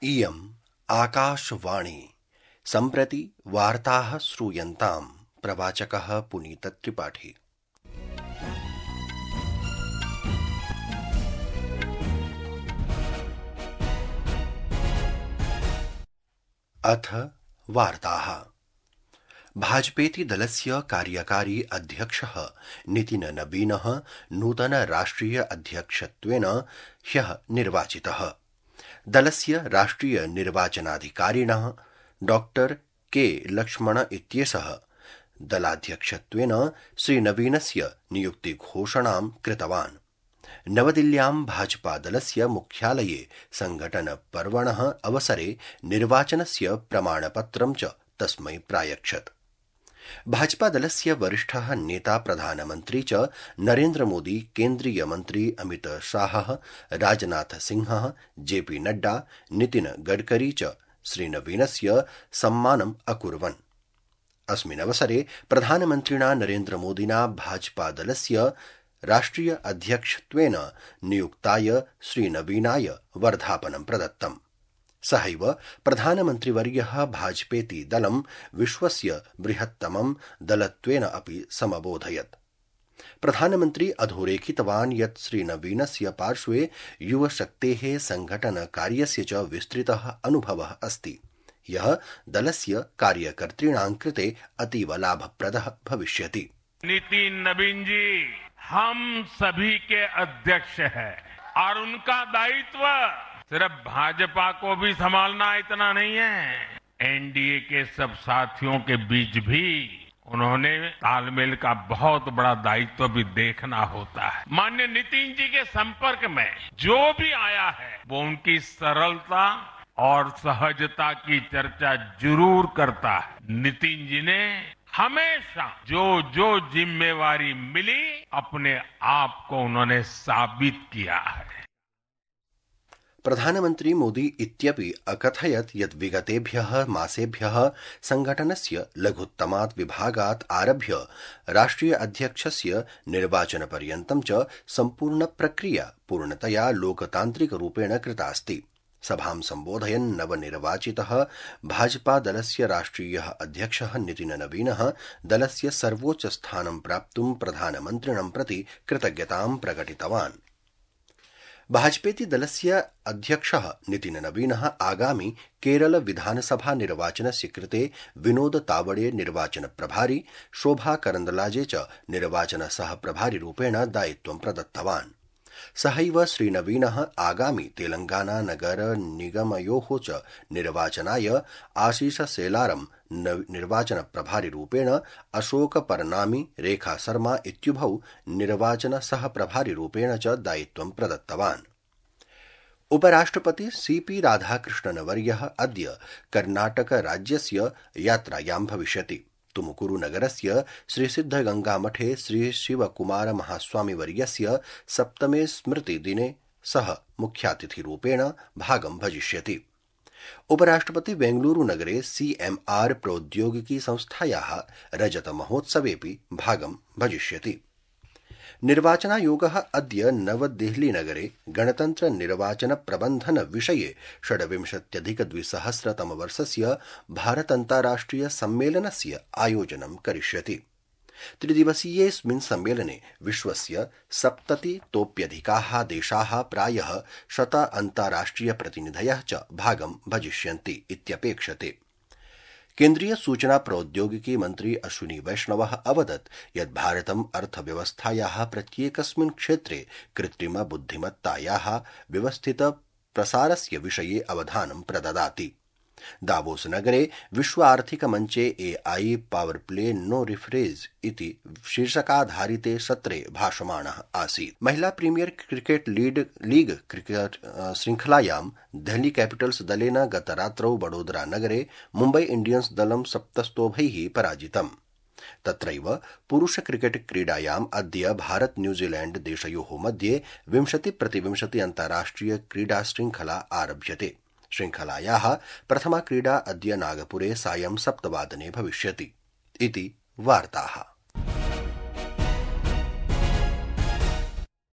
इयम् आकाशवाणी सम्प्रति वार्ताः श्रूयन्ताम्। प्रवाचकः पुनीतत्रिपाठी। अथ वार्ताः। भाजपेति दलस्य कार्यकारी अध्यक्षः नितिन नवीनः नूतन राष्ट्रिय अध्यक्षत्वेन ह्यः निर्वाचितः। दलस्य राष्ट्रिय निर्वाचनाधिकारिणः डॉक्टर के लक्ष्मण इत्येषः दलाध्यक्षत्वेन श्रीनवीनस्य नियुक्तिघोषणां कृतवान्। नवदिल्ल्यां भाजपादलस्य मुख्यालये संघटनपर्वणः अवसरे निर्वाचनस्य प्रमाणपत्रं च तस्मै प्रायच्छत्। भाजपादलस्य वरिष्ठः नेता प्रधानमन्त्री च नरेन्द्रमोदी, केन्द्रीयमन्त्री अमित शाहः, राजनाथ सिंहः, जेपी नड्डा, नितिन गडकरी च श्रीनवीनस्य सम्मानम् अकुर्वन्। अस्मिन् अवसरे प्रधानमन्त्रिणा नरेन्द्रमोदिना भाजपादलस्य राष्ट्रिय अध्यक्षत्वेन नियुक्ताय श्रीनवीनाय वर्धापनं प्रदत्तम्। सहैव प्रधानमन्त्रिवर्यः भाजपेति दलं विश्वस्य बृहत्तमं दलत्वेन अपि समबोधयत्। प्रधानमन्त्री अधोरेखितवान् यत् श्रीनवीनस्य पार्श्वे युवशक्तेः संघटनकार्यस्य च विस्तृतः अनुभवः अस्ति, यः दलस्य कार्यकर्तॄणां कृते अतीव लाभप्रदः भविष्यति। नितिन नवीन जी हम सभी के अध्यक्ष हैं और उनका दायित्व सिर्फ भाजपा को भी संभालना इतना नहीं है, एनडीए के सब साथियों के बीच भी उन्होंने तालमेल का बहुत बड़ा दायित्व भी देखना होता है। माननीय नितिन जी के संपर्क में जो भी आया है वो उनकी सरलता और सहजता की चर्चा जरूर करता है। नितिन जी ने हमेशा जो जिम्मेवारी मिली अपने आप को उन्होंने साबित किया है। प्रधानमन्त्री मोदी इत्यपि अकथयत् यत् विगतेभ्यः मासेभ्यः संघटनस्य लघुत्तमात् विभागात् आरभ्य राष्ट्रिय अध्यक्षस्य निर्वाचनपर्यन्तं च सम्पूर्ण प्रक्रिया पूर्णतया लोकतान्त्रिकरूपेण कृतास्ति। सभां सम्बोधयन् नवनिर्वाचितः भाजपादलस्य राष्ट्रियः अध्यक्षः नितिन नवीनः दलस्य सर्वोच्चस्थानं प्राप्तुं प्रधानमन्त्रिणं प्रति कृतज्ञतां प्रकटितवान्। भाजपेति दलस्य अध्यक्षः नितिन नवीनः आगामि केरल विधानसभा निर्वाचनस्य कृते विनोद तावडे निर्वाचन प्रभारी, शोभा करंदलाजे च निर्वाचन सह प्रभारी रूपेण दायित्वं प्रदत्तवान्। सहैव श्रीनवीनः आगामि तेलंगाना नगर निगमयोः च निर्वाचनाय आशीष सेलारं निर्वाचन प्रभारी रूपेण, अशोक परनामी, रेखा शर्मा इत्युभौ निर्वाचन सह प्रभारी रूपेण च दायित्वं प्रदत्तवान्। उपराष्ट्रपति सीपी राधाकृष्णनवर्यः अद्य कर्नाटक राज्यस्य यात्रायां भविष्यति। तुमुकुरु नगरस्य श्रीसिद्धगंगामठे श्री शिवकुमार महास्वामिवर्यस्य सप्तमे स्मृतिदिने सः मुख्यातिथिरूपेण भागं भजिष्यति। उपराष्ट्रपति बेंगलुरु नगरे सीएमआर प्रौद्योगिकी संस्थायाः रजत महोत्सवेऽपि भागं भजिष्यति। निर्वाचनायोगः अद्य नवदेहलीनगरे गणतन्त्र निर्वाचन प्रबन्धन विषये 26अधिक-2000 भारतान्ताराष्ट्रिय सम्मेलनस्य आयोजनं करिष्यति। त्रिदिवसीयेऽस्मिन् सम्मेलने विश्वस्य 70तोऽप्यधिकाः देशाः प्रायः 100 अन्ताराष्ट्रिय प्रतिनिधयः च भागं भजिष्यन्ति इत्यपेक्षते। केन्द्रीय सूचना प्रौद्योगिकी मन्त्री अश्विनी वैष्णवः अवदत् यत् भारतम् अर्थव्यवस्थायाः प्रत्येकस्मिन् क्षेत्रे कृत्रिम बुद्धिमत्तायाः व्यवस्थित प्रसारस्य विषये अवधानं प्रददाति। दावोस नगरे विश्व आर्थिक मञ्चे AI power play no referees इति शीर्षकाधारिते सत्रे भाषमाणः आसीत्। महिला प्रीमियर क्रिकेट लीग क्रिकेट श्रृंखलायां देहली कैपिटल्स दलेन गतरात्रौ वडोदरा नगरे मुम्बै इंडियन्स दलं 7 पराजितम्। तत्रैव पुरुष क्रिकेट क्रीडायाम् अद्य भारत न्यूजीलैंड देशयोः मध्ये 20-20 अन्ताराष्ट्रिय क्रीडा श्रृंखला आरभ्यते। श्रृंखलायाः प्रथमा क्रीडा अद्य नागपुरे सायं 7 भविष्यति इति वार्ताः।